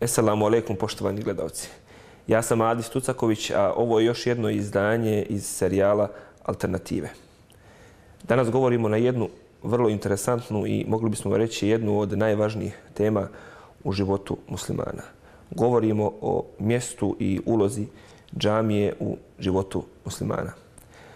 Esselamu alaikum, poštovani gledalci. Ja sam Adis Tucaković, a ovo je još jedno izdanje iz serijala Alternative. Danas govorimo na jednu vrlo interesantnu i mogli bismo reći jednu od najvažnijih tema u životu muslimana. Govorimo o mjestu i ulozi džamije u životu muslimana.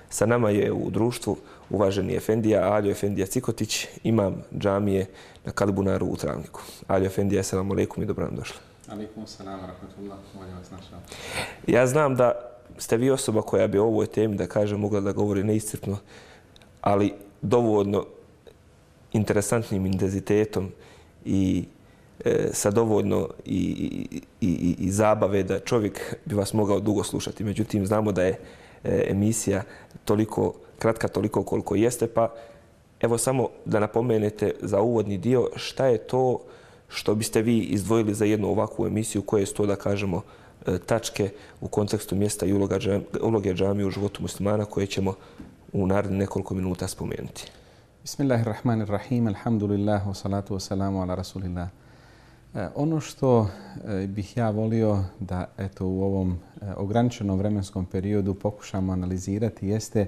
Sa nama je u društvu uvaženi efendija Alio Efendija Cikotić, imam džamije na Kalibunaru u Travniku. Alio Efendija, assalamu alaikum i dobro nam došli. Alaikum salam, rahmatullah, molim vas našao. Ja znam da ste vi osoba koja bi o ovoj temi, da kažem, mogla da govori neiscrpno, ali dovoljno interesantnim intenzitetom i sa dovoljno i zabave da čovjek bi vas mogao dugo slušati. Međutim, znamo da je emisija toliko kratka, toliko koliko jeste, pa evo samo da napomenete za uvodni dio šta je to što biste vi izdvojili za jednu ovakvu emisiju, koje su to, da kažemo, tačke u kontekstu mjesta i uloge džamije u životu muslimana koje ćemo u narednih nekoliko minuta spomenuti. Bismillahirrahmanirrahim, alhamdulillah, wa salatu wa salamu ala rasulillah. Ono što bih ja volio da u ovom ograničenom vremenskom periodu pokušamo analizirati jeste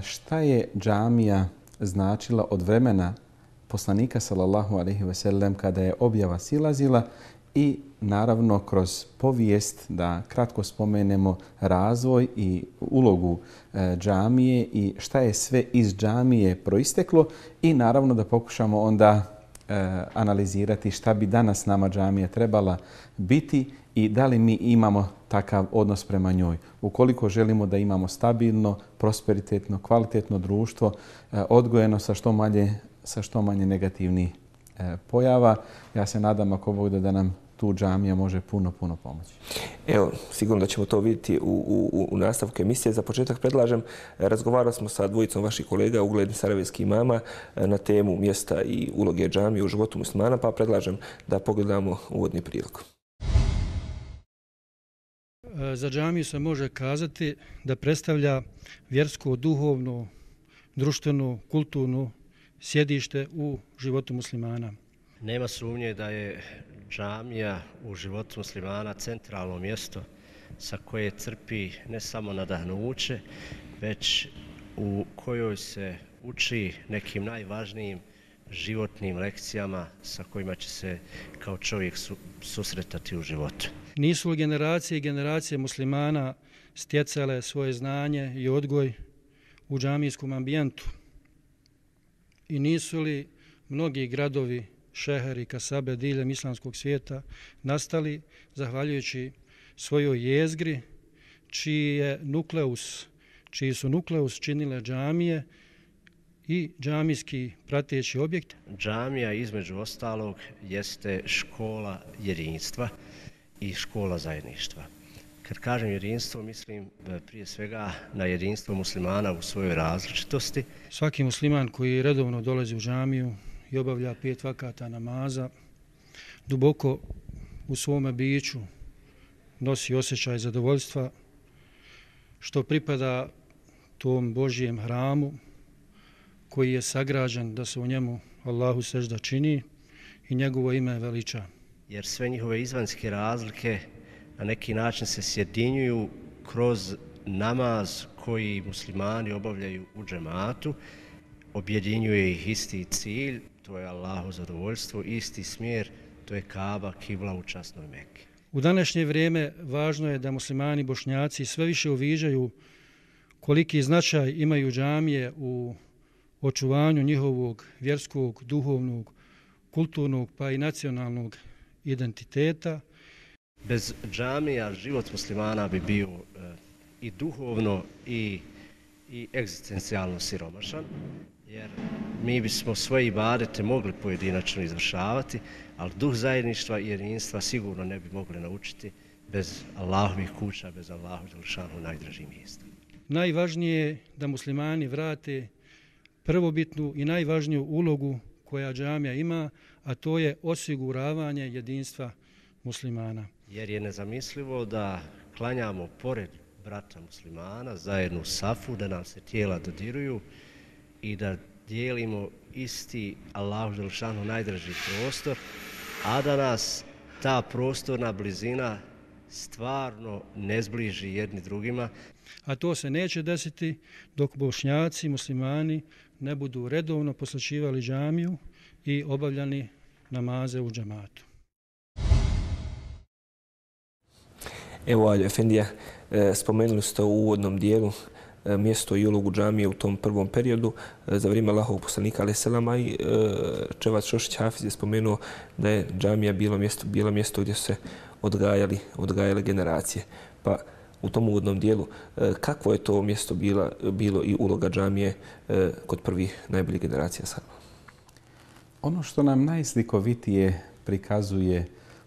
šta je džamija značila od vremena poslanika sallallahu alejhi ve sellem kada je objava silazila i naravno kroz povijest da kratko spomenemo razvoj i ulogu džamije i šta je sve iz džamije proisteklo i naravno da pokušamo onda analizirati šta bi danas nama džamija trebala biti i da li mi imamo takav odnos prema njoj. Ukoliko želimo da imamo stabilno, prosperitetno, kvalitetno društvo, odgojeno sa što manje negativnih pojava, ja se nadam ako Bog da nam tu džamija može puno pomoći. Evo, sigurno da ćemo to vidjeti u nastavku emisije. Za početak predlažem, razgovarali smo sa dvojicom vaših kolega, uglednih sarajevskih imama, na temu mjesta i uloge džamije u životu muslimana, pa predlažem da pogledamo uvodni prilog. Za džamiju se može kazati da predstavlja vjersko, duhovno, društveno, kulturno sjedište u životu muslimana. Nema sumnje da je džamija u životu muslimana centralno mjesto sa koje crpi ne samo nadahnuće, već u kojoj se uči nekim najvažnijim životnim lekcijama sa kojima će se kao čovjek susretati u životu. Nisu li generacije i generacije muslimana stjecale svoje znanje i odgoj u džamijskom ambijentu? I nisu li mnogi gradovi, šeheri, kasabe diljem islamskog svijeta nastali zahvaljujući svojoj jezgri čiji su nukleus činile džamije i džamijski prateći objekt? Džamija između ostalog jeste škola jedinstva i škola zajedništva. Kad kažem jedinstvo, mislim prije svega na jedinstvo muslimana u svojoj različitosti. Svaki musliman koji redovno dolazi u džamiju i obavlja 5 vakata namaza, duboko u svome biću nosi osjećaj zadovoljstva što pripada tom Božjem hramu koji je sagrađen da se u njemu Allahu sežda čini i njegovo ime veliča. Jer sve njihove izvanjske razlike na neki način se sjedinjuju kroz namaz koji muslimani obavljaju u džematu, objedinjuje ih isti cilj, to je Allahu zadovoljstvo, isti smjer, to je Kaba, kibla u časnoj Meki. U današnje vrijeme važno je da muslimani bošnjaci sve više uviđaju koliki značaj imaju džamije u očuvanju njihovog vjerskog, duhovnog, kulturnog pa i nacionalnog identiteta. Bez džamija život muslimana bi bio i duhovno i egzistencijalno siromašan, jer mi bismo svoje ibadete mogli pojedinačno izvršavati, ali duh zajedništva i jedinstva sigurno ne bi mogli naučiti bez Allahovih kuća, bez Allahu dželešanu najdražih mjesta. Najvažnije je da muslimani vrate prvobitnu i najvažniju ulogu koja džamija ima, a to je osiguravanje jedinstva muslimana. Jer je nezamislivo da klanjamo pored brata muslimana zajedno u safu, da nam se tijela dodiruju i da dijelimo isti Allahu dželešanu najdraži prostor, a da nas ta prostorna blizina stvarno ne zbliži jedni drugima. A to se neće desiti dok Bošnjaci, muslimani ne budu redovno posjećivali džamiju i obavljani namaze u džamatu. Evo, Aljo Efendija, spomenuli ste u uvodnom dijelu mjesto i ulogu džamije u tom prvom periodu za vrijeme Allahovog poslanika alejhi selama i Čevac Šošić Hafiz je spomenuo da je džamija bilo mjesto gdje su se odgajale generacije. Pa u tom uvodnom dijelu kakvo je to mjesto bilo i uloga džamije kod prvih najboljih generacija sada? Ono što nam najslikovitije prikazuje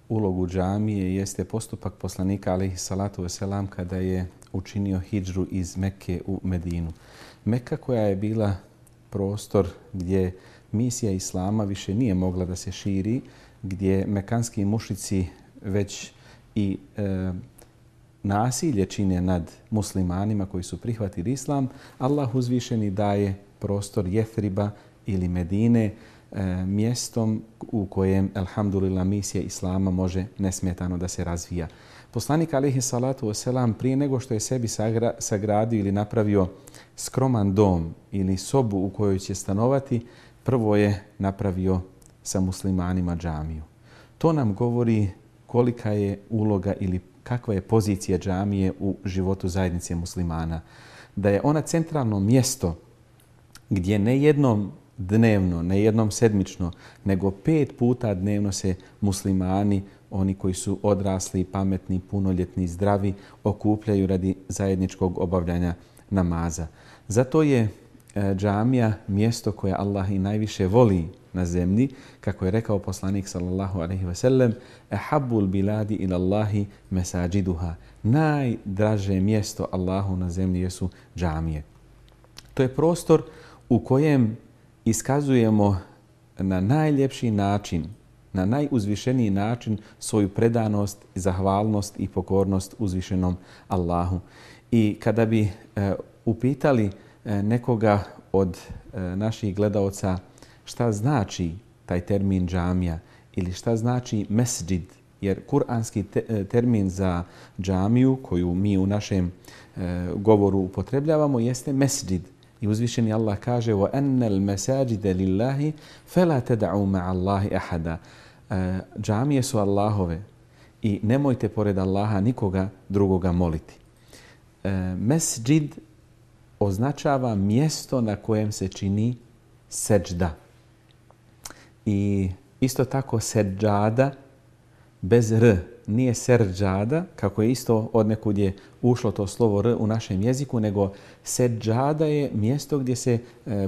ulogu džamije jeste postupak poslanika alejhi salatu vesselam kada je učinio hidžru iz Mekke u Medinu. Mekka koja je bila prostor gdje misija Islama više nije mogla da se širi, gdje mekanski mušici već i nasilje čine nad muslimanima koji su prihvatili Islam, Allah uzvišeni daje prostor Jethriba ili Medine, mjestom u kojem, alhamdulillah, misija Islama može nesmetano da se razvija. Poslanik alejhi salatu vesselam prije nego što je sebi sagradio ili napravio skroman dom ili sobu u kojoj će stanovati, prvo je napravio sa muslimanima džamiju. To nam govori kolika je uloga ili kakva je pozicija džamije u životu zajednice muslimana. Da je ona centralno mjesto gdje ne jednom dnevno, ne jednom sedmično, nego 5 puta dnevno se muslimani, oni koji su odrasli, pametni, punoljetni, zdravi, okupljaju radi zajedničkog obavljanja namaza. Zato je džamija mjesto koje Allah i najviše voli na zemlji, kako je rekao poslanik sallallahu alejhi ve sellem: "Ahabbul biladi ila Allahi masajiduha." Najdraže mjesto Allahu na zemlji jesu džamije. To je prostor u kojem iskazujemo na najljepši način, na najuzvišeniji način svoju predanost, zahvalnost i pokornost uzvišenom Allahu. I kada bi upitali nekoga od naših gledaoca šta znači taj termin džamija ili šta znači mesdžid, jer kuranski termin za džamiju koju mi u našem govoru upotrebljavamo jeste mesdžid. I uzvišeni Allah kaže: وَأَنَّ الْمَسَاجِدَ لِلَّهِ فَلَا تَدَعُوا مَعَ اللَّهِ أَحَدًا. Džamije su Allahove i nemojte pored Allaha nikoga drugoga moliti. Mesdžid označava mjesto na kojem se čini seđda. I isto tako seđada bez r, nije serđada, kako je isto odnekud je ušlo to slovo r u našem jeziku, nego seđada je mjesto gdje se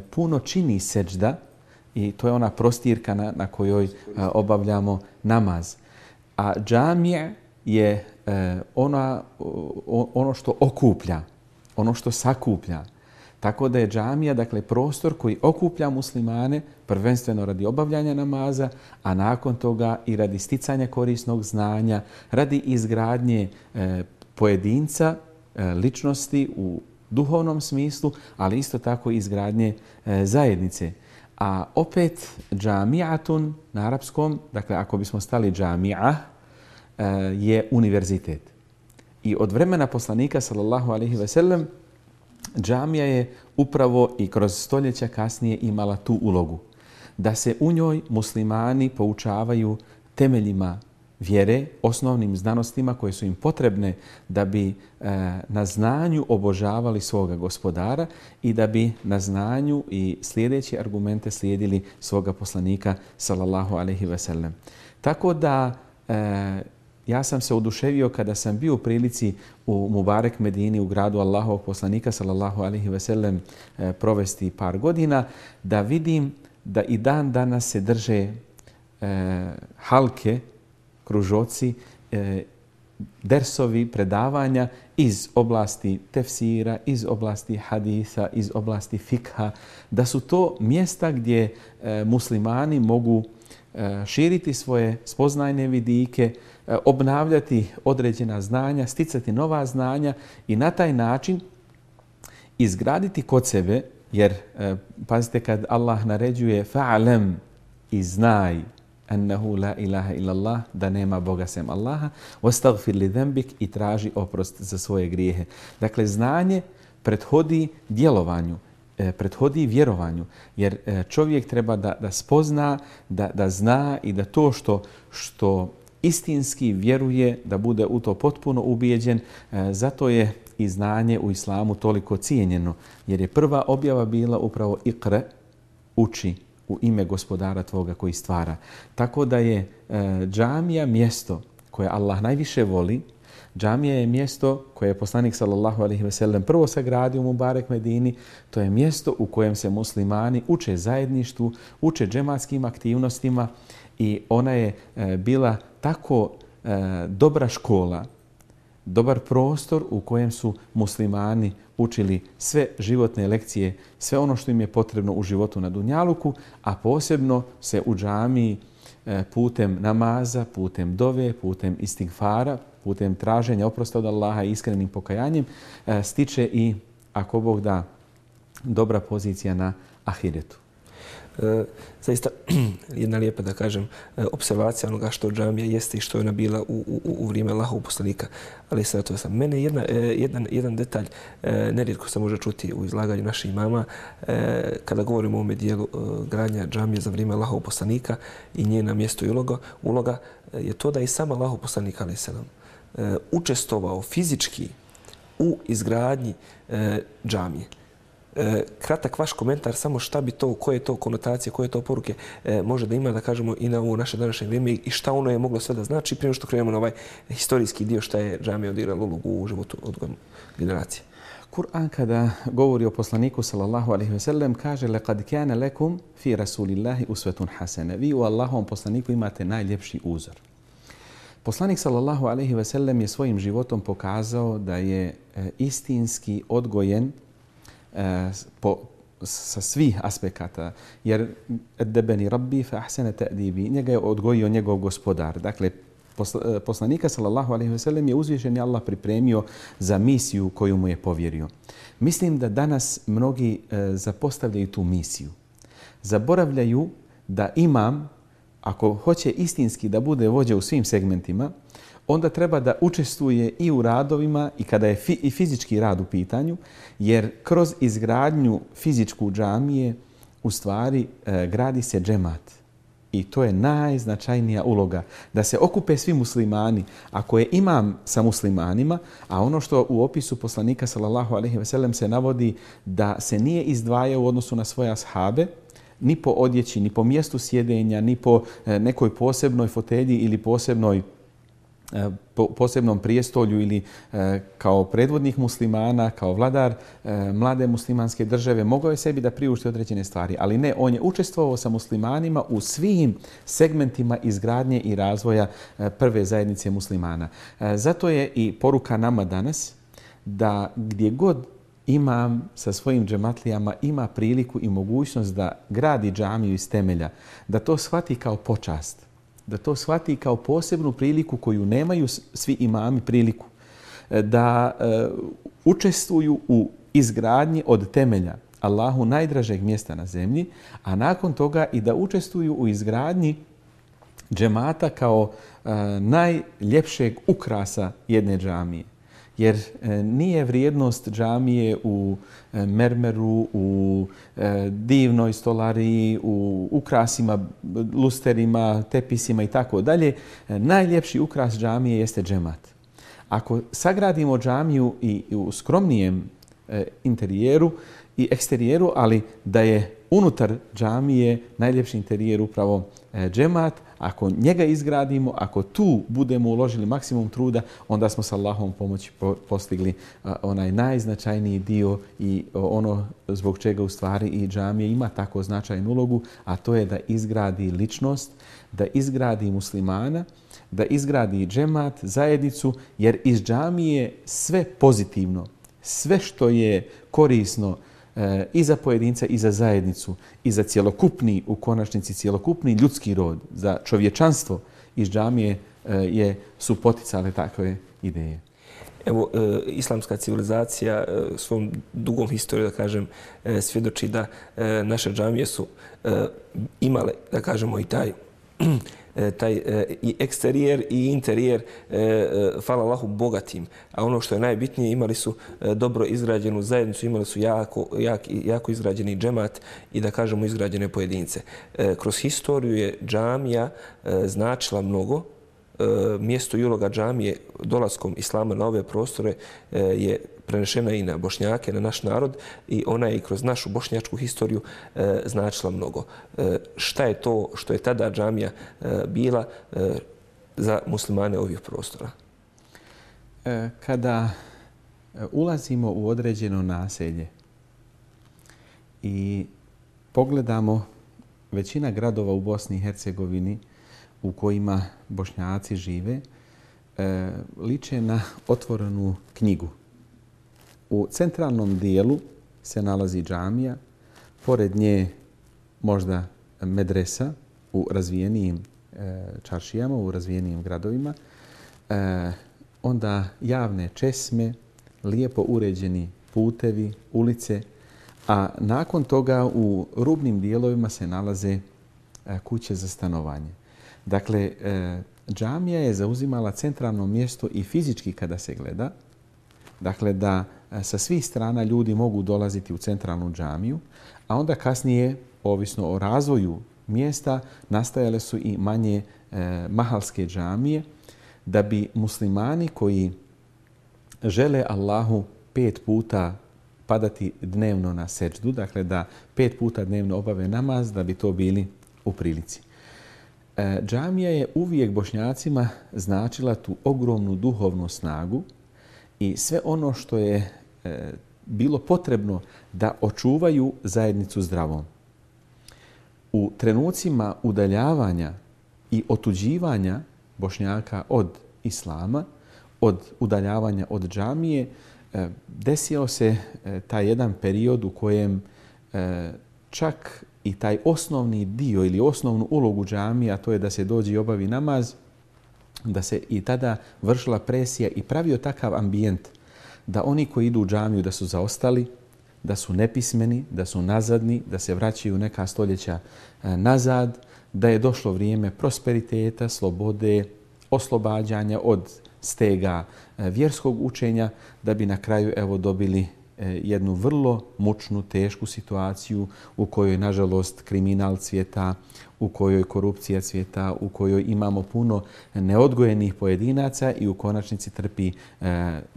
puno čini seđda i to je ona prostirka na kojoj obavljamo namaz. A džamija je ono što okuplja, ono što sakuplja. Tako da je džamija, dakle, prostor koji okuplja muslimane prvenstveno radi obavljanja namaza, a nakon toga i radi sticanja korisnog znanja, radi izgradnje pojedinca, ličnosti u duhovnom smislu, ali isto tako izgradnje zajednice. A opet džamijatun na arapskom, dakle, ako bismo stali džamija, je univerzitet. I od vremena poslanika sallallahu alejhi ve sellem džamija je upravo i kroz stoljeća kasnije imala tu ulogu. Da se u njoj muslimani poučavaju temeljima vjere, osnovnim znanostima koje su im potrebne da bi na znanju obožavali svoga gospodara i da bi na znanju i slijedeći argumente slijedili svoga poslanika sallallahu alejhi ve sellem. Tako da ja sam se oduševio kada sam bio u prilici u Mubarek Medini, u gradu Allahovog poslanika sallallahu alejhi ve sellem, provesti par godina, da vidim da i dan danas se drže halke, kružoci, dersovi, predavanja iz oblasti tefsira, iz oblasti hadisa, iz oblasti fikha, da su to mjesta gdje muslimani mogu širiti svoje spoznajne vidike, obnavljati određena znanja, sticati nova znanja i na taj način izgraditi kod sebe, jer pazite kad Allah naređuje fa'alem i znaj, ennehu la ilaha illallah, da nema Boga sem Allaha, wastaghfir li dhanbik, i traži oprost za svoje grijehe. Dakle, znanje prethodi djelovanju, prethodi vjerovanju, jer čovjek treba da spozna, da zna i da to što istinski vjeruje, da bude u to potpuno ubijeđen. Zato je i znanje u islamu toliko cijenjeno, jer je prva objava bila upravo Iqra, uči u ime gospodara tvoga koji stvara. Tako da je džamija mjesto koje Allah najviše voli. Džamija je mjesto koje je poslanik sallallahu alejhi ve sellem prvo sagradio u Mubarek Medini. To je mjesto u kojem se muslimani uče zajedništvu, uče džematskim aktivnostima i ona je bila tako dobra škola, dobar prostor u kojem su muslimani učili sve životne lekcije, sve ono što im je potrebno u životu na dunjaluku, a posebno se u džamiji putem namaza, putem dove, putem istigfara, putem traženja oprosta od Allaha i iskrenim pokajanjem stiče i, ako Bog da, dobra pozicija na ahiretu. Zaista jedna lijepa, da kažem, observacija onoga što džamija jeste i što je ona bila u vrijeme Allahovog poslanika. Ali sad sam. Mene jedan detalj nerijetko se može čuti u izlaganju naših imama kada govorimo o ovome dijelu gradnja džamije za vrijeme Allahovog poslanika i njena mjesto i uloga je to da i sam Allahov poslanik alejhi selam učestvovao fizički u izgradnji džamije. Kratak vaš komentar, samo šta bi to, koje je to konotacije, koje je to poruke može da ima, da kažemo, i na ovo naše današnje vrijeme i šta ono je moglo sve da znači prije što krenemo na ovaj historijski dio šta je džamija odigrala ulogu u životu odgoja generacije. Kur'an kada govori o poslaniku sallallahu alejhi ve sellem kaže laqad kana lakum fi rasulillahi uswatun hasana. Vi u Allahovom poslaniku imate najljepši uzor. Poslanik sallallahu alejhi ve sellem je svojim životom pokazao da je istinski odgojen sa svih aspekata, jer edebeni rabbi fa ahsana ta'dibi, njega je odgojio njegov gospodar. Dakle, poslanika sallallahu alejhi ve sellem je uzvišeni Allah pripremio za misiju koju mu je povjerio. Mislim da danas mnogi zapostavljaju tu misiju. Zaboravljaju da imam, ako hoće istinski da bude vođa u svim segmentima, onda treba da učestvuje i u radovima i kada je i fizički rad u pitanju, jer kroz izgradnju fizičku džamije u stvari gradi se džemat. I to je najznačajnija uloga, da se okupe svi muslimani. Ako je imam sa muslimanima, a ono što u opisu poslanika sallallahu alejhi ve sellem se navodi da se nije izdvajao u odnosu na svoje ashabe, ni po odjeći, ni po mjestu sjedenja, ni po nekoj posebnoj fotelji ili posebnom prijestolju ili kao predvodnik muslimana, kao vladar mlade muslimanske države, mogao je sebi da priušti određene stvari. Ali ne, on je učestvovao sa muslimanima u svim segmentima izgradnje i razvoja prve zajednice muslimana. Zato je i poruka nama danas da gdje god imam sa svojim džematlijama ima priliku i mogućnost da gradi džamiju iz temelja, da to shvati kao počast, da to shvati kao posebnu priliku koju nemaju svi imami priliku, da učestvuju u izgradnji od temelja Allahu najdražeg mjesta na zemlji, a nakon toga i da učestvuju u izgradnji džemata kao najljepšeg ukrasa jedne džamije. Jer nije vrijednost džamije u mermeru, u divnoj stolariji, u ukrasima, lusterima, tepisima i tako dalje. Najljepši ukras džamije jeste džemat. Ako sagradimo džamiju i u skromnijem interijeru i eksterijeru, ali da je unutar džamije najljepši interijer upravo džemat, ako njega izgradimo, ako tu budemo uložili maksimum truda, onda smo sa Allahovom pomoći postigli onaj najznačajniji dio i ono zbog čega u stvari i džamija ima tako značajnu ulogu, a to je da izgradi ličnost, da izgradi muslimana, da izgradi džemat, zajednicu, jer iz džamije sve pozitivno, sve što je korisno i za pojedinca i za zajednicu i za cjelokupni, u konačnici cjelokupni ljudski rod, za čovječanstvo iz džamije su poticale takve ideje. Evo, islamska civilizacija svom dugom historiju, da kažem, svjedoči da naše džamije su imale, da kažemo, i taj taj i eksterijer i interijer, hvala Allahu, bogatim. A ono što je najbitnije, imali su dobro izgrađenu zajednicu, imali su jako izgrađeni džemat i da kažemo izgrađene pojedince. Kroz historiju je džamija značila mnogo. Mjesto i uloga džamije dolaskom islama na ove prostore je prenešena i na Bošnjake, na naš narod i ona je i kroz našu bošnjačku historiju značila mnogo. Šta je to što je tada džamija bila za muslimane ovih prostora? Kada ulazimo u određeno naselje i pogledamo većina gradova u Bosni i Hercegovini u kojima Bošnjaci žive, liče na otvorenu knjigu. U centralnom dijelu se nalazi džamija, pored nje možda medresa u razvijenijim čaršijama, u razvijenijim gradovima, onda javne česme, lijepo uređeni putevi, ulice, a nakon toga u rubnim dijelovima se nalaze kuće za stanovanje. Dakle, džamija je zauzimala centralno mjesto i fizički kada se gleda. Dakle, da sa svih strana ljudi mogu dolaziti u centralnu džamiju, a onda kasnije, ovisno o razvoju mjesta, nastajale su i manje mahalske džamije, da bi muslimani koji žele Allahu 5 puta padati dnevno na seđdu, dakle da 5 puta dnevno obave namaz, da bi to bili u prilici. Džamija je uvijek Bošnjacima značila tu ogromnu duhovnu snagu i sve ono što je bilo potrebno da očuvaju zajednicu zdravom. U trenucima udaljavanja i otuđivanja Bošnjaka od islama, od udaljavanja od džamije, desio se taj jedan period u kojem čak i taj osnovni dio ili osnovnu ulogu džamije, a to je da se dođe i obavi namaz, da se i tada vršila presija i pravio takav ambijent da oni koji idu u džamiju da su zaostali, da su nepismeni, da su nazadni, da se vraćaju neka stoljeća nazad, da je došlo vrijeme prosperiteta, slobode, oslobađanja od stega vjerskog učenja, da bi na kraju evo dobili jednu vrlo mučnu, tešku situaciju u kojoj, nažalost, kriminal cvjeta, u kojoj korupcija cvjeta, u kojoj imamo puno neodgojenih pojedinaca i u konačnici trpi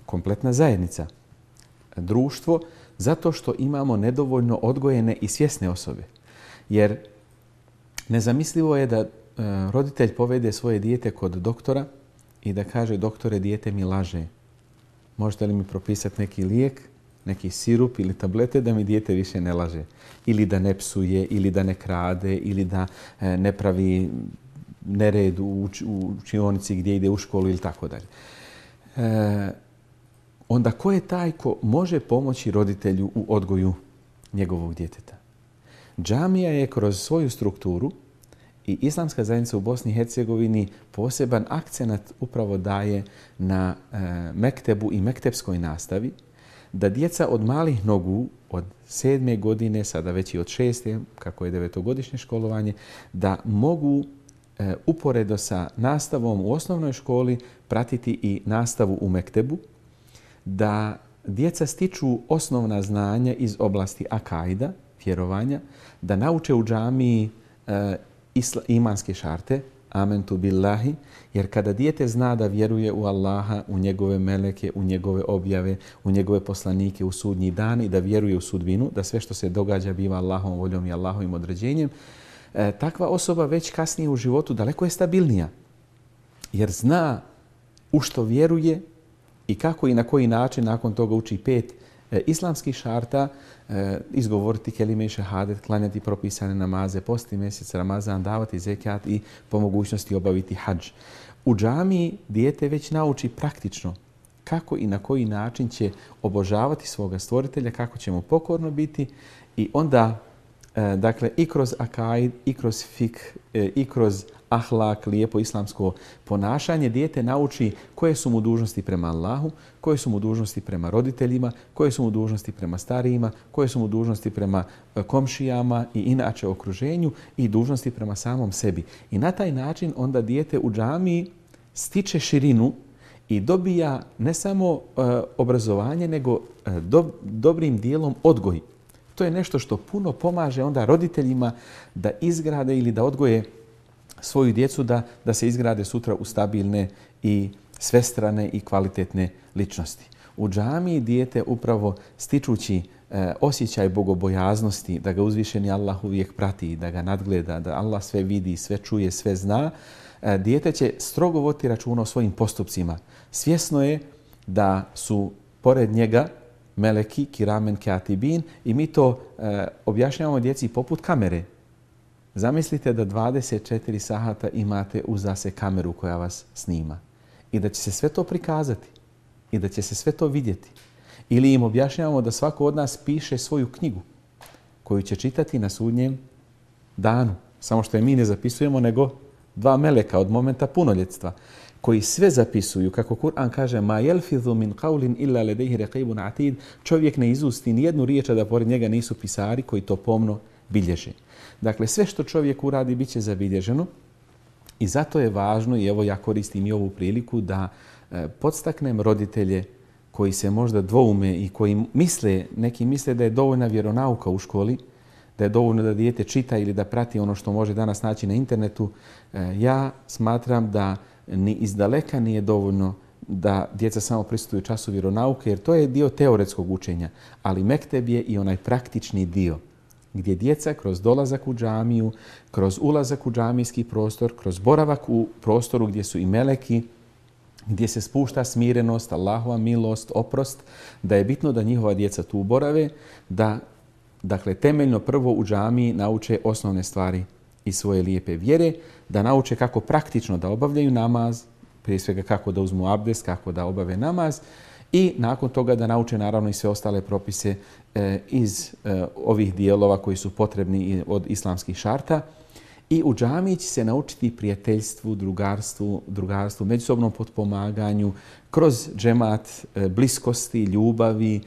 kompletna zajednica, društvo, zato što imamo nedovoljno odgojene i svjesne osobe. Jer nezamislivo je da roditelj povede svoje dijete kod doktora i da kaže: doktore, dijete mi laže. Možete li mi propisati neki lijek, neki sirup ili tablete da mi dijete više ne laže? Ili da ne psuje, ili da ne krade, ili da ne pravi nered u učionici gdje ide u školu ili tako dalje. Onda ko je taj ko može pomoći roditelju u odgoju njegovog djeteta? Džamija je kroz svoju strukturu i islamska zajednica u Bosni i Hercegovini poseban akcenat upravo daje na mektebu i mektepskoj nastavi, da djeca od malih nogu, od 7. godine, sada već i od 6. kako je 9-godišnje školovanje, da mogu uporedo sa nastavom u osnovnoj školi pratiti i nastavu u mektebu, da djeca stiču osnovna znanja iz oblasti akajda, vjerovanja, da nauče u džamiji imanske šarte, amentu billahi, jer kada dijete zna da vjeruje u Allaha, u njegove meleke, u njegove objave, u njegove poslanike, u sudnji dan i da vjeruje u sudbinu, da sve što se događa biva Allahovom voljom i Allahovim određenjem, takva osoba već kasnije u životu daleko je stabilnija, jer zna u što vjeruje i kako i na koji način nakon toga uči 5 islamskih šarta, izgovoriti kelime i šehadet, klanjati propisane namaze, posti mjesec Ramazan, davati zekat i po mogućnosti obaviti hadž. U džamiji dijete već nauči praktično kako i na koji način će obožavati svoga stvoritelja, kako će mu pokorno biti i onda dakle i kroz akaid, i kroz fik, i kroz ahlak, lijepo islamsko ponašanje, dijete nauči koje su mu dužnosti prema Allahu, koje su mu dužnosti prema roditeljima, koje su mu dužnosti prema starijima, koje su mu dužnosti prema komšijama i inače okruženju i dužnosti prema samom sebi. I na taj način onda dijete u džamiji stiče širinu i dobija ne samo obrazovanje, nego dobrim dijelom odgoj. To je nešto što puno pomaže onda roditeljima da izgrade ili da odgoje svoju djecu da se izgrade sutra u stabilne i svestrane i kvalitetne ličnosti. U džamiji dijete upravo stičući osjećaj bogobojaznosti, da ga uzvišeni Allah uvijek prati, da ga nadgleda, da Allah sve vidi, sve čuje, sve zna, dijete će strogo voditi računa o svojim postupcima. Svjesno je da su pored njega meleki, kiramen, katibin i mi to objašnjavamo djeci poput kamere. Zamislite da 24 sahata imate uza se kameru koja vas snima i da će se sve to prikazati i da će se sve to vidjeti. Ili im objašnjavamo da svako od nas piše svoju knjigu koju će čitati na sudnjem danu. Samo što je mi ne zapisujemo, nego dva meleka od momenta punoljetstva koji sve zapisuju, kako Kur'an kaže ma yalfidhu min qawlin illa ladayhi raqibun atid, čovjek ne izusti ni jednu riječ, a da pored njega nisu pisari koji to pomno bilježe. Dakle, sve što čovjek uradi bit će zabilježeno i zato je važno, i evo ja koristim i ovu priliku, da podstaknem roditelje koji se možda dvoume i koji misle, neki misle da je dovoljna vjeronauka u školi, da je dovoljno da dijete čita ili da prati ono što može danas naći na internetu. Ja smatram da ni izdaleka nije dovoljno da djeca samo prisustvuju času vjeronauke, jer to je dio teoretskog učenja, ali mekteb je i onaj praktični dio gdje djeca kroz dolazak u džamiju, kroz ulazak u džamijski prostor, kroz boravak u prostoru gdje su i meleki, gdje se spušta smirenost, Allahova milost, oprost, da je bitno da njihova djeca tu borave, da dakle temeljno prvo u džamiji nauče osnovne stvari iz svoje lijepe vjere, da nauče kako praktično da obavljaju namaz, prije svega kako da uzmu abdest, kako da obave namaz i nakon toga da nauče naravno i sve ostale propise iz ovih dijelova koji su potrebni od islamskih šarta. I u džamiji će se naučiti prijateljstvu, drugarstvu, međusobnom potpomaganju, kroz džemat, bliskosti, ljubavi,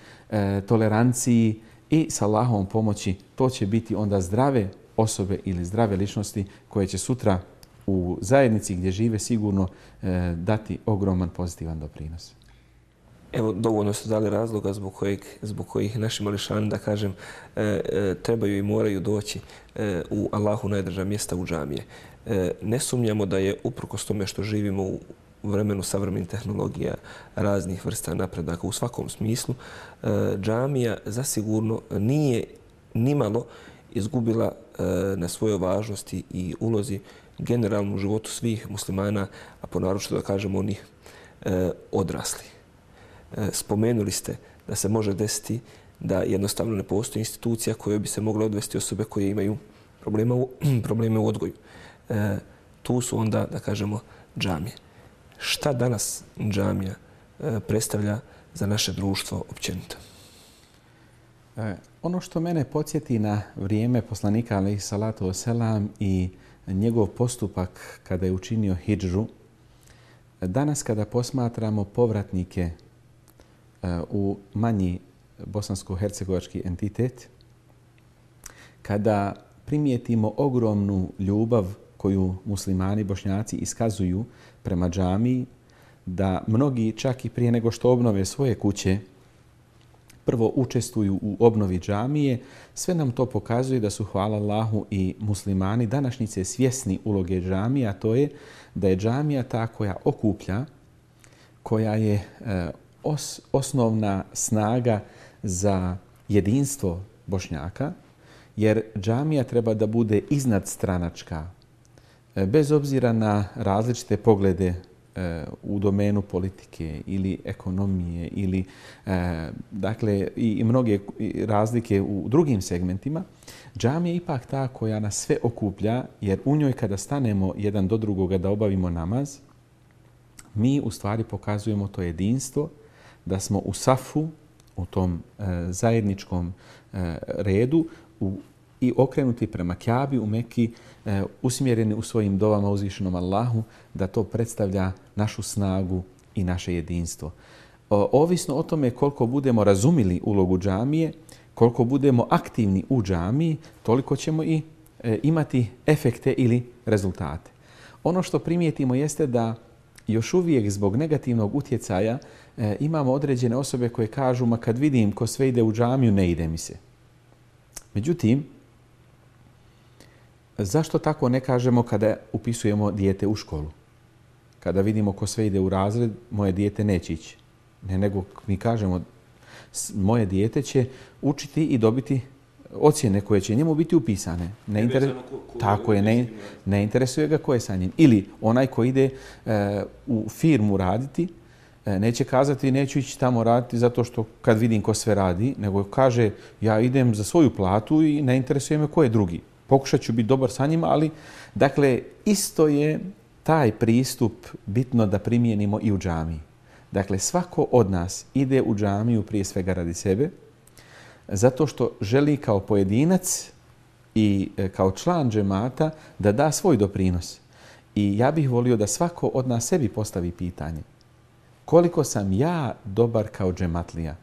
toleranciji i s Allahovom pomoći. To će biti onda zdrave osobe ili zdrave ličnosti koje će sutra u zajednici gdje žive sigurno dati ogroman pozitivan doprinos. Evo, dovoljno su dali razloga zbog kojih naši mališani, da kažem, trebaju i moraju doći u Allahu najdraža mjesta u džamije. Ne sumnjamo da je uprkos tome što živimo u vremenu savremenih tehnologija, raznih vrsta napredaka u svakom smislu, džamija zasigurno nije nimalo izgubila na svojoj važnosti i ulozi generalno u životu svih muslimana, a ponaročito da kažemo onih odrasli. Spomenuli ste da se može desiti da jednostavno ne postoji institucija kojoj bi se mogle odvesti osobe koje imaju probleme u odgoju. Tu su onda, da kažemo, džamije. Šta danas džamija predstavlja za naše društvo općenito? Ono što mene podsjeti na vrijeme poslanika alejhi salatu vesselam i njegov postupak kada je učinio hidžru, danas kada posmatramo povratnike u manji bosansko-hercegovački entitet, kada primijetimo ogromnu ljubav koju muslimani, bošnjaci iskazuju prema džamiji, da mnogi čak i prije nego što obnove svoje kuće, prvo učestvuju u obnovi džamije, sve nam to pokazuje da su, hvala Allahu, i muslimani današnjice svjesni uloge džamije, a to je da je džamija ta koja okuplja, koja je osnovna snaga za jedinstvo Bošnjaka, jer džamija treba da bude iznadstranačka, bez obzira na različite poglede u domenu politike ili ekonomije ili dakle i mnoge razlike u drugim segmentima. Džamija je ipak ta koja nas sve okuplja, jer u njoj kada stanemo jedan do drugoga da obavimo namaz, mi u stvari pokazujemo to jedinstvo, da smo u safu, u tom zajedničkom redu, u i okrenuti prema Kjabi u Mekki, usmjereni u svojim dovama uzvišenom Allahu, da to predstavlja našu snagu i naše jedinstvo. Ovisno o tome koliko budemo razumili ulogu džamije, koliko budemo aktivni u džamiji, toliko ćemo i imati efekte ili rezultate. Ono što primijetimo jeste da još uvijek zbog negativnog utjecaja imamo određene osobe koje kažu ma kad vidim ko sve ide u džamiju, ne ide mi se. Međutim, zašto tako ne kažemo kada upisujemo dijete u školu? Kada vidimo ko sve ide u razred, moje dijete neće ići. Ne, nego mi kažemo moje dijete će učiti i dobiti ocjene koje će njemu biti upisane. Ne interesuje ga ko je sa njim. Ili onaj ko ide u firmu raditi, neće kazati neću ići tamo raditi zato što kad vidim ko sve radi, nego kaže ja idem za svoju platu i ne interesuje me ko je drugi. Pokušat ću biti dobar sa njima, ali dakle isto je taj pristup bitno da primijenimo i u džamiji. Dakle, svako od nas ide u džamiju prije svega radi sebe, zato što želi kao pojedinac i kao član džemata da da svoj doprinos. I ja bih volio da svako od nas sebi postavi pitanje. Koliko sam ja dobar kao džematlija?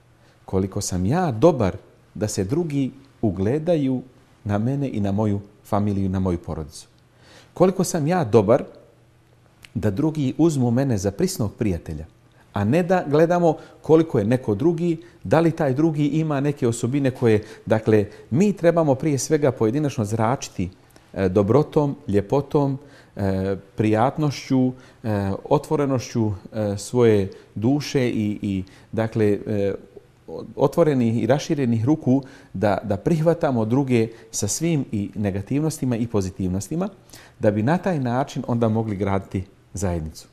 Koliko sam ja dobar da se drugi ugledaju na mene i na moju familiju, na moju porodicu? Koliko sam ja dobar da drugi uzmu mene za prisnog prijatelja? A ne da gledamo koliko je neko drugi, da li taj drugi ima neke osobine koje, dakle, mi trebamo prije svega pojedinačno zračiti dobrotom, ljepotom, prijatnošću, otvorenošću svoje duše i dakle, otvorenih i raširenih ruku da prihvatamo druge sa svim i negativnostima i pozitivnostima, da bi na taj način onda mogli graditi zajednicu.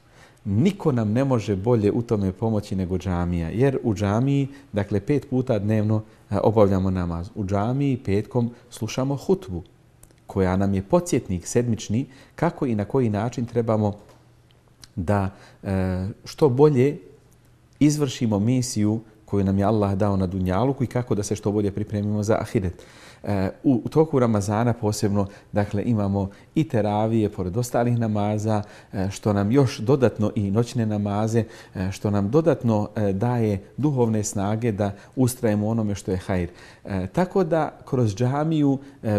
Niko nam ne može bolje u tome pomoći nego džamija, jer u džamiji, dakle 5 puta dnevno obavljamo namaz. U džamiji petkom slušamo hutbu, koja nam je podsjetnik sedmični kako i na koji način trebamo da što bolje izvršimo misiju koju nam je Allah dao na dunjaluku i kako da se što bolje pripremimo za ahiret. U toku Ramazana posebno, dakle, imamo i teravije pored ostalih namaza, što nam još dodatno i noćne namaze, što nam dodatno daje duhovne snage da ustrajemo onome što je hajr. Tako da kroz džamiju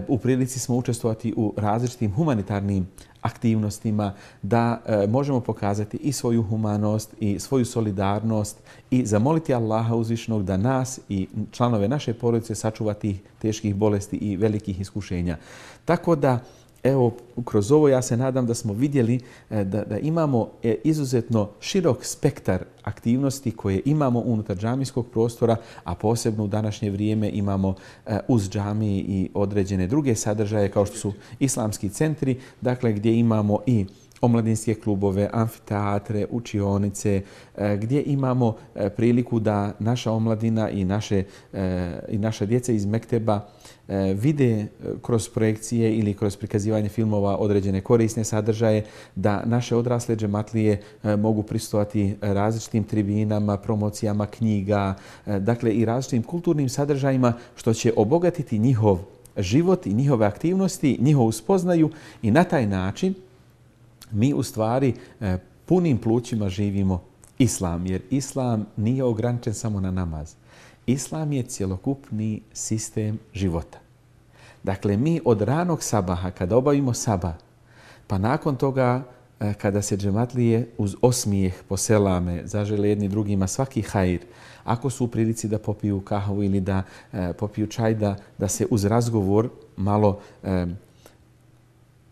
u prilici smo učestvovati u različitim humanitarnim aktivnostima, da možemo pokazati i svoju humanost i svoju solidarnost i zamoliti Allaha uzvišenog da nas i članove naše porodice sačuva tih teških bolesti i velikih iskušenja. Tako da, evo, kroz ovo ja se nadam da smo vidjeli da imamo izuzetno širok spektar aktivnosti koje imamo unutar džamijskog prostora, a posebno u današnje vrijeme imamo uz džamiji i određene druge sadržaje kao što su islamski centri, dakle gdje imamo i omladinske klubove, amfiteatre, učionice, gdje imamo priliku da naša omladina i naša djeca iz mekteba vide kroz projekcije ili kroz prikazivanje filmova određene korisne sadržaje, da naše odrasle džematlije mogu prisustvovati različitim tribinama, promocijama knjiga, dakle i različitim kulturnim sadržajima što će obogatiti njihov život i njihove aktivnosti, njihovu spoznaju i na taj način mi u stvari punim plućima živimo islam, jer islam nije ograničen samo na namaz. Islam je cjelokupni sistem života. Dakle, mi od ranog sabaha, kada obavimo sabah, pa nakon toga kada se džematlije uz osmijeh poselame, zažele jedni drugima svaki hajr, ako su u prilici da popiju kahvu ili da popiju čaj, da se uz razgovor malo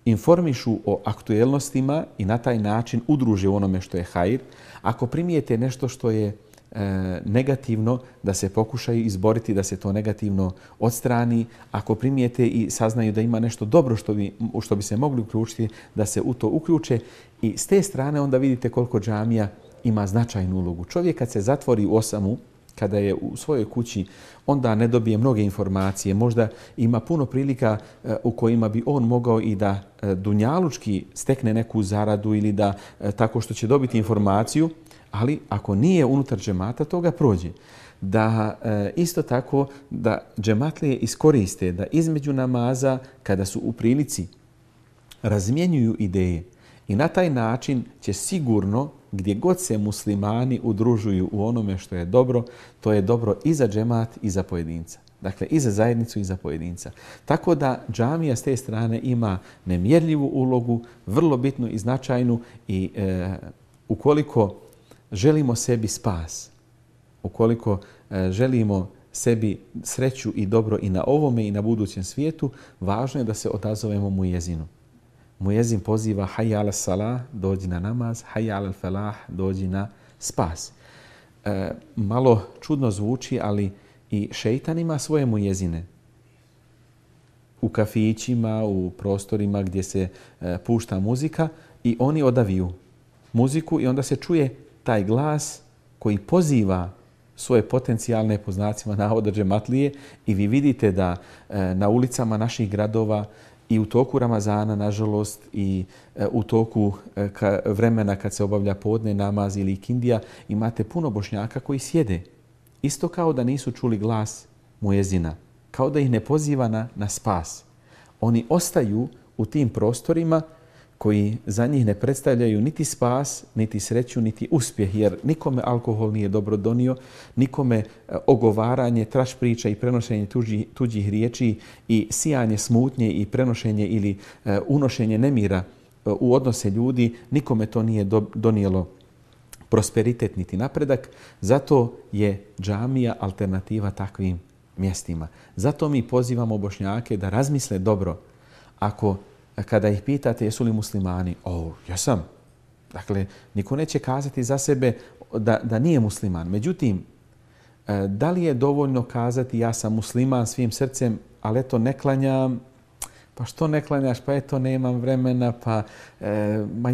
informišu o aktuelnostima i na taj način udruže u onome što je hajr. Ako primijete nešto što je negativno, da se pokušaju izboriti da se to negativno odstrani. Ako primijete i saznaju da ima nešto dobro što bi se mogli uključiti, da se u to uključe. I s te strane onda vidite koliko džamija ima značajnu ulogu. Čovjek kad se zatvori u osamu kada je u svojoj kući, onda ne dobije mnoge informacije. Možda ima puno prilika u kojima bi on mogao i da dunjalučki stekne neku zaradu ili da tako što će dobiti informaciju, ali ako nije unutar džemata, to ga prođe. Da isto tako da džematlije iskoriste da između namaza, kada su u prilici, razmjenjuju ideje i na taj način će sigurno gdje god se muslimani udružuju u onome što je dobro, to je dobro i za džemat i za pojedinca. Dakle, i za zajednicu i za pojedinca. Tako da džamija s te strane ima nemjerljivu ulogu, vrlo bitnu i značajnu i ukoliko želimo sebi spas, ukoliko želimo sebi sreću i dobro i na ovome i na budućem svijetu, važno je da se odazovemo muezinu. Muezin poziva hayya ala salah, dođi na namaz, hayya ala falah, dođi na spas. Malo čudno zvuči, ali i šeitan ima svoje muezine. U kafićima, u prostorima gdje se pušta muzika i oni odaviju muziku i onda se čuje taj glas koji poziva svoje potencijalne, po znacima navoda, džematlije i vi vidite da na ulicama naših gradova i u toku Ramazana, nažalost, i u toku vremena kad se obavlja podne namaz ili ikindija, imate puno Bošnjaka koji sjede. Isto kao da nisu čuli glas muezina, kao da ih ne poziva na spas. Oni ostaju u tim prostorima koji za njih ne predstavljaju niti spas, niti sreću, niti uspjeh, jer nikome alkohol nije dobro donio, nikome ogovaranje, traš priča i prenošenje tuđih riječi i sijanje smutnje i prenošenje ili unošenje nemira u odnose ljudi, nikome to nije donijelo prosperitet niti napredak. Zato je džamija alternativa takvim mjestima. Zato mi pozivamo Bošnjake da razmisle dobro. Kada ih pitate jesu li muslimani, jesam. Dakle, niko neće kazati za sebe da nije musliman. Međutim, da li je dovoljno kazati ja sam musliman svim srcem, ali eto ne klanjam, pa što ne klanjaš, pa eto nemam vremena, pa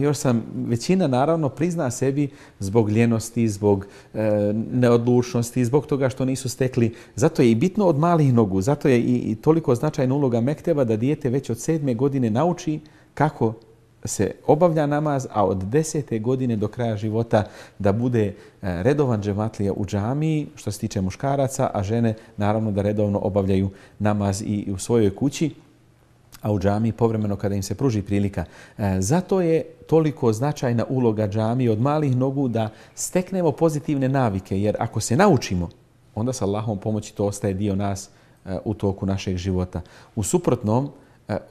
još sam, većina naravno prizna sebi zbog ljenosti, zbog neodlučnosti, zbog toga što nisu stekli. Zato je i bitno od malih nogu, zato je i toliko značajna uloga mekteba da dijete već od 7. godine nauči kako se obavlja namaz, a od 10. godine do kraja života da bude redovan džematlija u džamiji, što se tiče muškaraca, a žene naravno da redovno obavljaju namaz i u svojoj kući, a u džamiji povremeno kada im se pruži prilika. Zato je toliko značajna uloga džamije od malih nogu da steknemo pozitivne navike, jer ako se naučimo, onda sa Allahom pomoći to ostaje dio nas u toku našeg života. U suprotnom,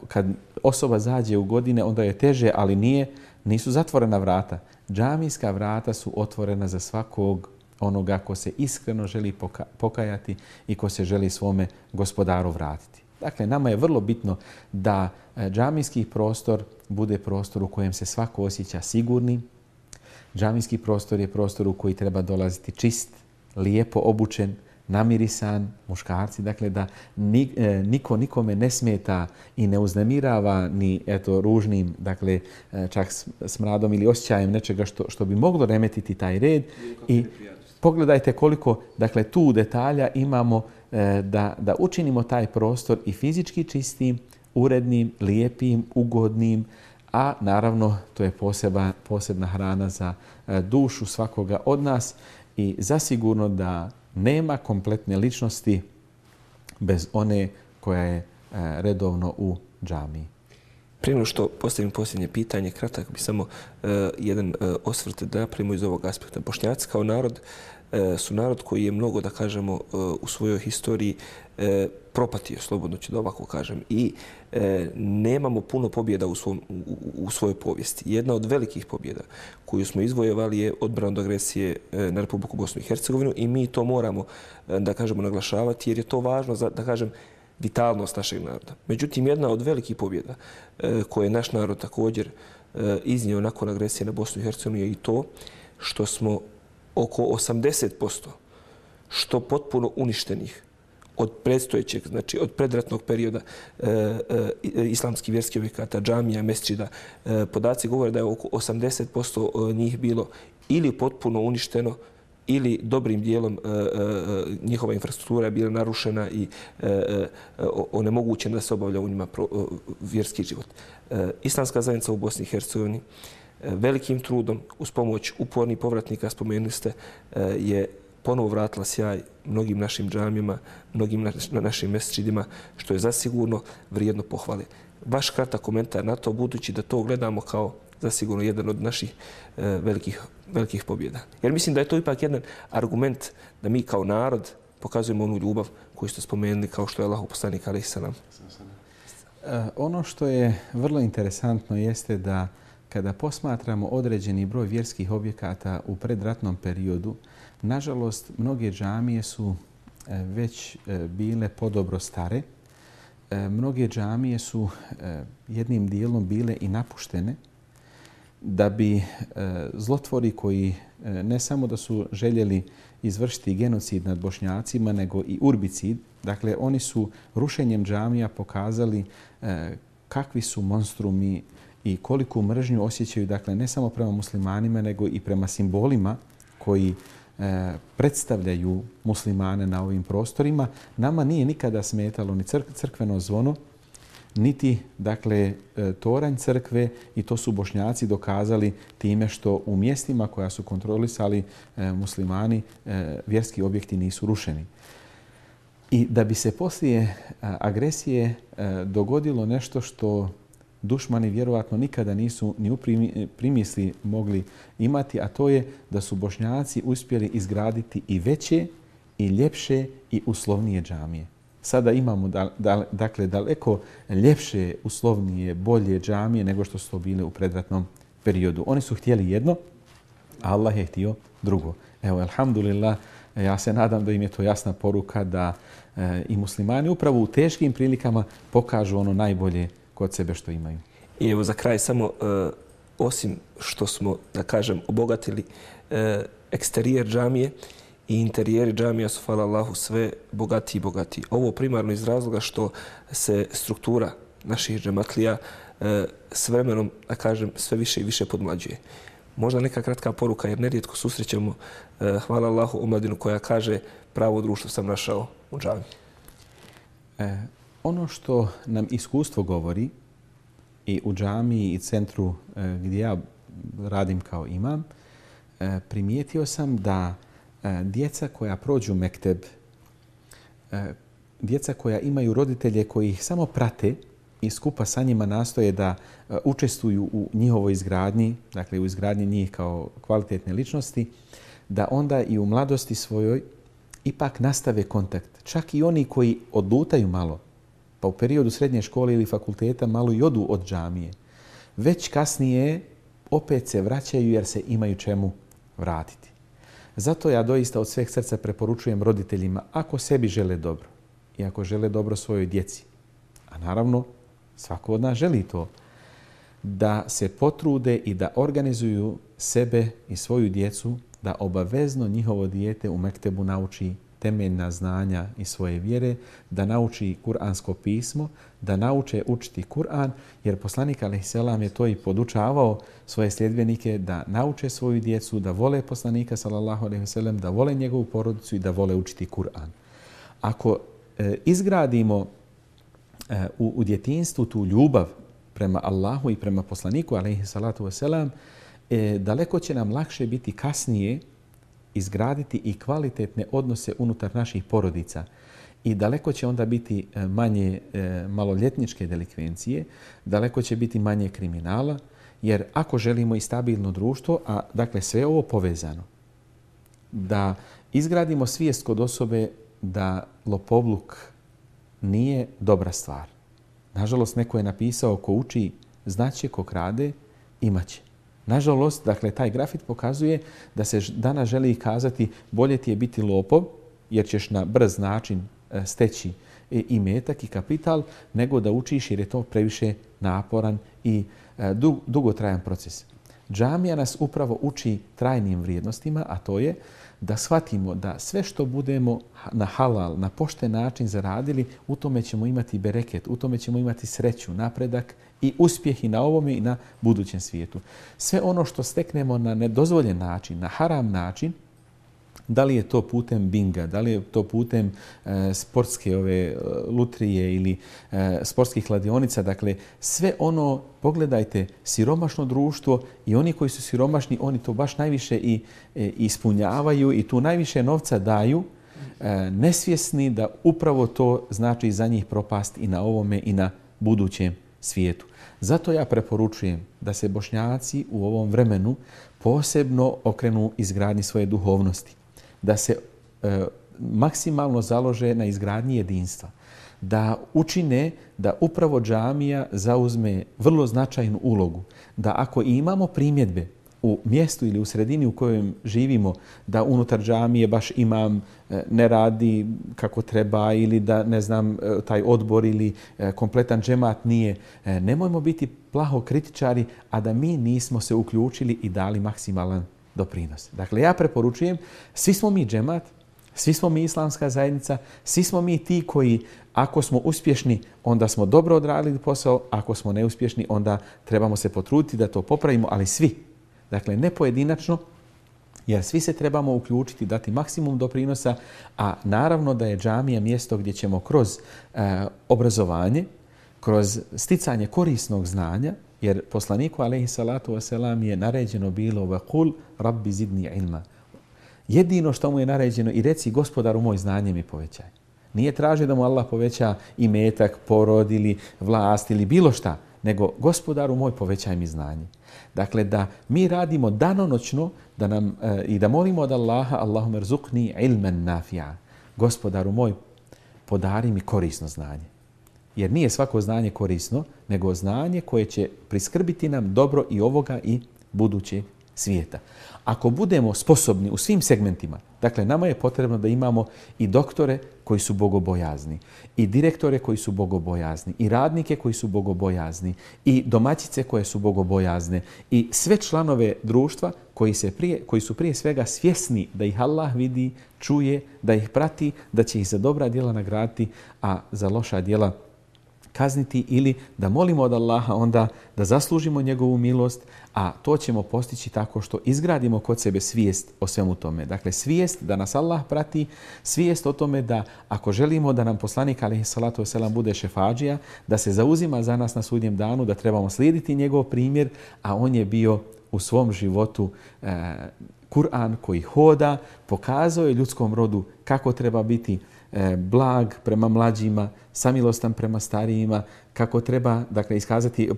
kad osoba zađe u godine, onda je teže, ali nisu zatvorena vrata. Džamijska vrata su otvorena za svakog onoga ko se iskreno želi pokajati i ko se želi svome gospodaru vratiti. Dakle, nama je vrlo bitno da džamijski prostor bude prostor u kojem se svako osjeća sigurni. Džamijski prostor je prostor u koji treba dolaziti čist, lijepo obučen, namirisan, muškarci. Dakle, da niko nikome ne smeta i ne uznemirava ni ružnim, dakle, čak smradom ili osjećajem nečega što bi moglo remetiti taj red. I pogledajte koliko, dakle, tu detalja imamo da učinimo taj prostor i fizički čistim, urednim, lijepim, ugodnim, a naravno to je posebna hrana za dušu svakoga od nas i zasigurno da nema kompletne ličnosti bez one koja je redovno u džamiji. Prije nego što postavim posljednje pitanje, kratak bi samo jedan osvrt da napravimo iz ovog aspekta. Bošnjaci kao narod su narod koji je mnogo, da kažemo, u svojoj historiji propatio, slobodno ću da ovako kažem, i nemamo puno pobjeda u svojoj povijesti. Jedna od velikih pobjeda koju smo izvojevali je odbrana od agresije na Republiku Bosnu i Hercegovinu i mi to moramo, da kažemo, naglašavati jer je to važno za, da kažem, vitalnost našeg naroda. Međutim, jedna od velikih pobjeda koje je naš narod također iznio nakon agresije na Bosnu i Hercegovinu je i to što smo oko 80% što potpuno uništenih od predstojećeg, znači od predratnog perioda islamskih vjerskih objekata, džamija, mesdžida, podaci govore da je oko 80% njih bilo ili potpuno uništeno ili dobrim dijelom njihova infrastruktura je bila narušena i onemogućena da se obavlja u njima vjerski život. Islamska zajednica u Bosni i Hercegovini velikim trudom, uz pomoć upornih povratnika, spomenuli ste, je ponovo vratila sjaj mnogim našim džamijama, mnogim našim mesdžidima, što je zasigurno vrijedno pohvale. Vaš kratak komentar na to, budući da to gledamo kao zasigurno jedan od naših velikih pobjeda. Jer mislim da je to ipak jedan argument da mi kao narod pokazujemo onu ljubav koju ste spomenuli, kao što je Allahov poslanik alejhi selam. Ono što je vrlo interesantno jeste da kada posmatramo određeni broj vjerskih objekata u predratnom periodu, nažalost, mnoge džamije su već bile podobro stare. Mnoge džamije su jednim dijelom bile i napuštene, da bi zlotvori koji ne samo da su željeli izvršiti genocid nad Bošnjacima, nego i urbicid, dakle oni su rušenjem džamija pokazali kakvi su monstrumi i koliku mržnju osjećaju, dakle ne samo prema muslimanima, nego i prema simbolima koji predstavljaju muslimane na ovim prostorima. Nama nije nikada smetalo ni crkveno zvono, niti dakle toranj crkve, i to su Bošnjaci dokazali time što u mjestima koja su kontrolisali muslimani vjerski objekti nisu rušeni. I da bi se poslije agresije dogodilo nešto što dušmani vjerovatno nikada nisu ni u primisli mogli imati, a to je da su Bošnjaci uspjeli izgraditi i veće i ljepše i uslovnije džamije. Sada imamo dakle daleko ljepše, uslovnije, bolje džamije nego što su to bile u predratnom periodu. Oni su htjeli jedno, a Allah je htio drugo. Evo, alhamdulillah, ja se nadam da im je to jasna poruka da i muslimani upravo u teškim prilikama pokažu ono najbolje kod sebe što imaju. I evo za kraj samo, osim što smo, da kažem, obogatili eksterijer džamije, i interijeri džamija su, hvala Allahu, sve bogatiji i bogatiji. Ovo primarno iz razloga što se struktura naših džematlija s vremenom, da kažem, sve više i više podmlađuje. Možda neka kratka poruka, jer nerijetko susrećemo, hvala Allahu, omladinu koja kaže pravo društvo sam našao u džamiji. Ono što nam iskustvo govori i u džamiji i centru gdje ja radim kao imam, primijetio sam da djeca koja prođu mekteb, djeca koja imaju roditelje koji ih samo prate i skupa sa njima nastoje da učestvuju u njihovoj izgradnji, dakle u izgradnji njih kao kvalitetne ličnosti, da onda i u mladosti svojoj ipak nastave kontakt. Čak i oni koji odlutaju malo, pa u periodu srednje škole ili fakulteta malo i odu od džamije, već kasnije opet se vraćaju jer se imaju čemu vratiti. Zato ja doista od sveg srca preporučujem roditeljima, ako sebi žele dobro i ako žele dobro svojoj djeci, a naravno svako od nas želi to, da se potrude i da organizuju sebe i svoju djecu da obavezno njihovo dijete u mektebu nauči temeljna znanja i svoje vjere, da nauči kuransko pismo, da nauče učiti Kur'an, jer poslanik alejselam je to i podučavao svoje sljedbenike da nauče svoju djecu, da vole poslanika sallallahu alejhi ve sellem, da vole njegovu porodicu i da vole učiti Kur'an. Ako izgradimo u djetinjstvu tu ljubav prema Allahu i prema poslaniku alejhi salatu ve selam, daleko će nam lakše biti kasnije izgraditi i kvalitetne odnose unutar naših porodica. I daleko će onda biti manje maloljetničke delikvencije, daleko će biti manje kriminala, jer ako želimo i stabilno društvo, a dakle sve ovo povezano, da izgradimo svijest kod osobe da lopovluk nije dobra stvar. Nažalost, neko je napisao ko uči znaće, ko krade imaće. Nažalost, dakle, taj grafit pokazuje da se danas želi kazati bolje ti je biti lopov, jer ćeš na brz način steći i metak i kapital, nego da učiš jer je to previše naporan i dugotrajan proces. Džamija nas upravo uči trajnim vrijednostima, a to je da shvatimo da sve što budemo na halal, na pošten način zaradili, u tome ćemo imati bereket, u tome ćemo imati sreću, napredak i uspjeh i na ovome i na budućem svijetu. Sve ono što steknemo na nedozvoljen način, na haram način, Da li je to putem binga, da li je to putem sportske lutrije ili sportskih kladionica. Dakle, sve ono, pogledajte, siromašno društvo i oni koji su siromašni, oni to baš najviše i ispunjavaju i tu najviše novca daju, nesvjesni da upravo to znači za njih propast i na ovome i na budućem svijetu. Zato ja preporučujem da se Bošnjaci u ovom vremenu posebno okrenu izgradnji svoje duhovnosti, da se maksimalno založe na izgradnji jedinstva, da učine da upravo džamija zauzme vrlo značajnu ulogu, da ako imamo primjedbe u mjestu ili u sredini u kojem živimo, da unutar džamije baš imam ne radi kako treba ili da, ne znam, taj odbor ili kompletan džemat nije. Nemojmo biti plaho kritičari, a da mi nismo se uključili i dali maksimalan doprinos. Dakle, ja preporučujem, svi smo mi džemat, svi smo mi islamska zajednica, svi smo mi ti koji, ako smo uspješni, onda smo dobro odradili posao, ako smo neuspješni, onda trebamo se potruditi da to popravimo, ali svi. Dakle, ne pojedinačno, jer svi se trebamo uključiti, dati maksimum doprinosa, a naravno da je džamija mjesto gdje ćemo kroz obrazovanje, kroz sticanje korisnog znanja, jer poslaniku alejhi salatu vesselam je naređeno bilo vaqul rabbi zidni ilma. Jedino što mu je naređeno i reci gospodaru moj znanje mi povećaj. Nije tražio da mu Allah poveća imetak, porod ili vlast ili bilo šta, nego gospodaru moj povećaj mi znanje. Dakle, da mi radimo danonoćno da nam, i da molimo od Allaha Allahumma rzuqni ilman nafi'a. Gospodaru moj, podari mi korisno znanje. Jer nije svako znanje korisno, nego znanje koje će priskrbiti nam dobro i ovoga i budućeg svijeta. Ako budemo sposobni u svim segmentima, dakle, nama je potrebno da imamo i doktore koji su bogobojazni, i direktore koji su bogobojazni, i radnike koji su bogobojazni, i domaćice koje su bogobojazne, i sve članove društva koji su prije svega svjesni da ih Allah vidi, čuje, da ih prati, da će ih za dobra djela nagraditi, a za loša djela kazniti, ili da molimo od Allaha onda da zaslužimo njegovu milost, a to ćemo postići tako što izgradimo kod sebe svijest o svemu tome. Dakle, svijest da nas Allah prati, svijest o tome da ako želimo da nam poslanik alejhi salatu vesselam bude šefadžija, da se zauzima za nas na sudnjem danu, da trebamo slijediti njegov primjer, a on je bio u svom životu Kur'an koji hoda, pokazao je ljudskom rodu kako treba biti blag prema mlađima, samilostan prema starijima, kako treba, dakle, iskazati,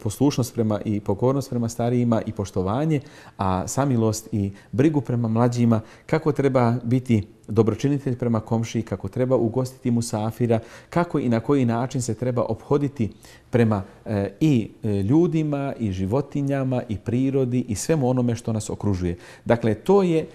poslušnost prema i pokornost prema starijima i poštovanje, a samilost i brigu prema mlađima, kako treba biti dobročinitelj prema komšiji, kako treba ugostiti musafira, kako i na koji način se treba ophoditi prema i ljudima, i životinjama, i prirodi, i svemu onome što nas okružuje. Dakle, to je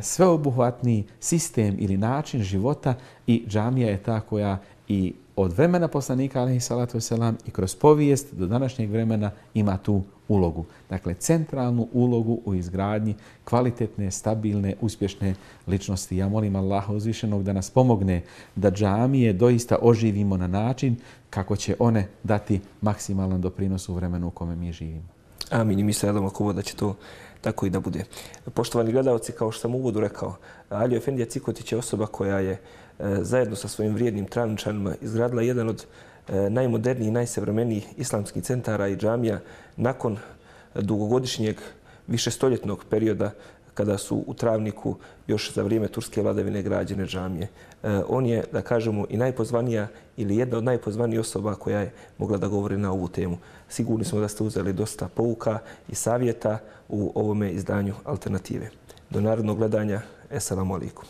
sveobuhvatni sistem ili način života i džamija je ta koja i od vremena poslanika alejhi salatu vesselam i kroz povijest do današnjeg vremena ima tu ulogu. Dakle, centralnu ulogu u izgradnji kvalitetne, stabilne, uspješne ličnosti. Ja molim Allaha uzvišenog da nas pomogne da džamije doista oživimo na način kako će one dati maksimalan doprinos u vremenu u kome mi živimo. Amin. I mi se nadamo Kubo da će to tako i da bude. Poštovani gledalci, kao što sam u uvodu rekao, Alio Efendija Cikotić je osoba koja je zajedno sa svojim vrijednim Travničanima izgradila jedan od najmodernijih i najsavremenijih islamskih centara i džamija nakon dugogodišnjeg višestoljetnog perioda kada su u Travniku još za vrijeme turske vladavine građene džamije. On je, da kažemo, i najpozvanija ili jedna od najpozvanijih osoba koja je mogla da govori na ovu temu. Sigurni smo da ste uzeli dosta pouka i savjeta u ovome izdanju Alternative. Do narednog gledanja. Esselamu alaikum.